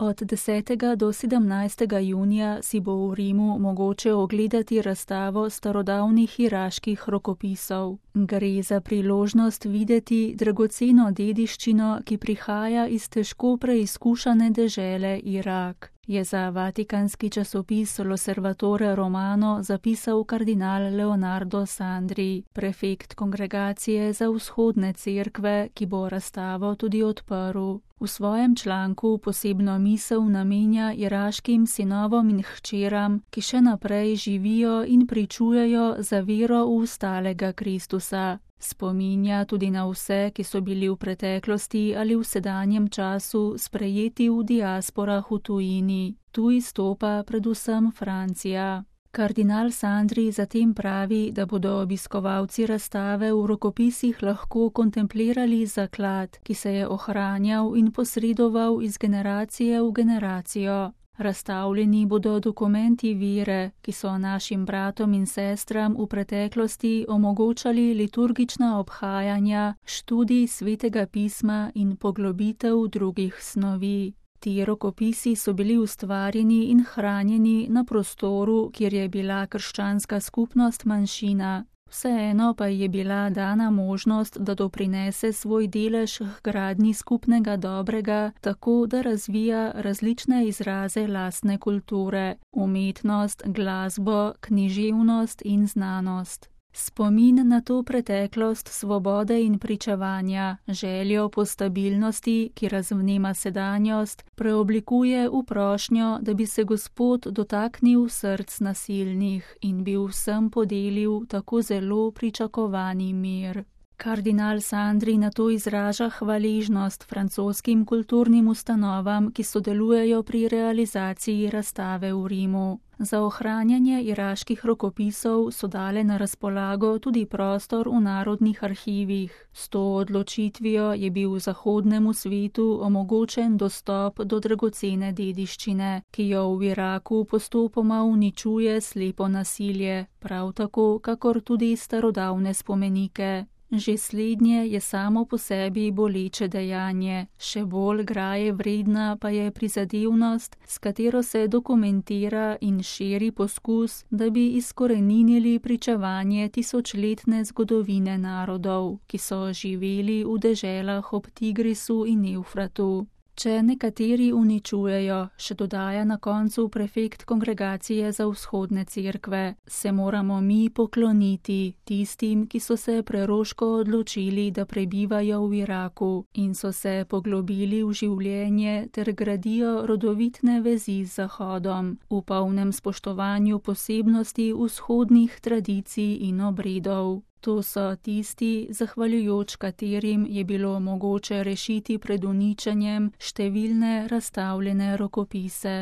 Od 10. do 17. junija si bo v Rimu mogoče ogledati razstavo starodavnih iraških rokopisov. Gre za priložnost videti dragoceno dediščino, ki prihaja iz težko preizkušane dežele Irak, je za vatikanski časopis L'Osservatore Romano zapisal kardinal Leonardo Sandri, prefekt kongregacije za vzhodne cerkve, ki bo razstavo tudi odprl. V svojem članku posebno misel namenja iraškim sinovom in hčeram, ki še naprej živijo in pričujejo za vero v ustalega Kristusa. Spominja tudi na vse, ki so bili v preteklosti ali v sedanjem času sprejeti v diasporah v tujini. Tu izstopa predvsem Francija. Kardinal Sandri zatem pravi, da bodo obiskovalci razstave v rokopisih lahko kontemplirali zaklad, ki se je ohranjal in posredoval iz generacije v generacijo. Razstavljeni bodo dokumenti vere, ki so našim bratom in sestram v preteklosti omogočali liturgična obhajanja, študij svetega pisma in poglobitev drugih snovi. Ti rokopisi so bili ustvarjeni in hranjeni na prostoru, kjer je bila krščanska skupnost manjšina. Vseeno pa je bila dana možnost, da doprinese svoj delež k gradnji skupnega dobrega, tako da razvija različne izraze lastne kulture, umetnost, glasbo, književnost in znanost. Spomin na to preteklost svobode in pričevanja, željo po stabilnosti, ki razvnema sedanjost, preoblikuje v prošnjo, da bi se Gospod dotaknil src nasilnih in bi vsem podelil tako zelo pričakovani mir. Kardinal Sandri nato izraža hvaležnost francoskim kulturnim ustanovam, ki sodelujejo pri realizaciji razstave v Rimu. Za ohranjanje iraških rokopisov so dale na razpolago tudi prostor v narodnih arhivih. S to odločitvijo je bil zahodnemu svetu omogočen dostop do dragocene dediščine, ki jo v Iraku postopoma uničuje slepo nasilje, prav tako kakor tudi starodavne spomenike. Že slednje je samo po sebi boleče dejanje, še bolj graje vredna pa je prizadevnost, s katero se dokumentira in širi poskus, da bi izkoreninili pričevanje tisočletne zgodovine narodov, ki so živeli v deželah ob Tigrisu in Evfratu. Če nekateri uničujejo, še dodaja na koncu prefekt kongregacije za vzhodne cerkve, se moramo mi pokloniti tistim, ki so se preroško odločili, da prebivajo v Iraku in so se poglobili v življenje ter gradijo rodovitne vezi z Zahodom, v polnem spoštovanju posebnosti vzhodnih tradicij in obredov. To so tisti, zahvaljujoč katerim je bilo mogoče rešiti pred uničenjem številne razstavljene rokopise.